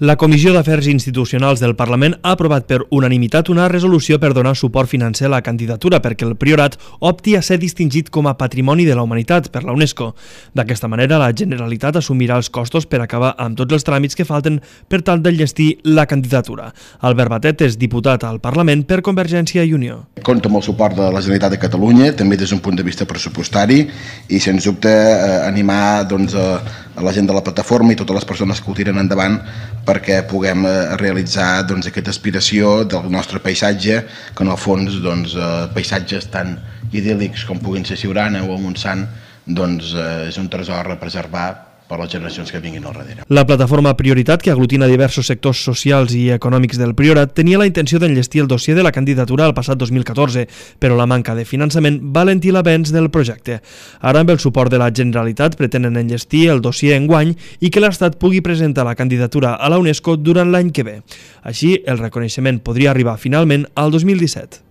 La Comissió d'Afers Institucionals del Parlament ha aprovat per unanimitat una resolució per donar suport financer a la candidatura perquè el Priorat opti a ser distingit com a Patrimoni de la Humanitat per la UNESCO. D'aquesta manera, la Generalitat assumirà els costos per acabar amb tots els tràmits que falten per tal d'enllestir la candidatura. Albert Batet és diputat al Parlament per Convergència i Unió. Compta amb el suport de la Generalitat de Catalunya, també des d'un punt de vista pressupostari, i sens dubte animar a la gent de la plataforma i totes les persones que ho tiren endavant perquè puguem realitzar aquesta aspiració del nostre paisatge, que en el fons paisatges tan idíl·lics com puguin ser Siurana o el Montsant és un tresor a preservar per les generacions que vinguin al darrere. La plataforma Prioritat, que aglutina diversos sectors socials i econòmics del Priorat, tenia la intenció d'enllestir el dossier de la candidatura al passat 2014, però la manca de finançament va alentir l'avenç del projecte. Ara, amb el suport de la Generalitat, pretenen enllestir el dossier enguany i que l'Estat pugui presentar la candidatura a la UNESCO durant l'any que ve. Així, el reconeixement podria arribar finalment al 2017.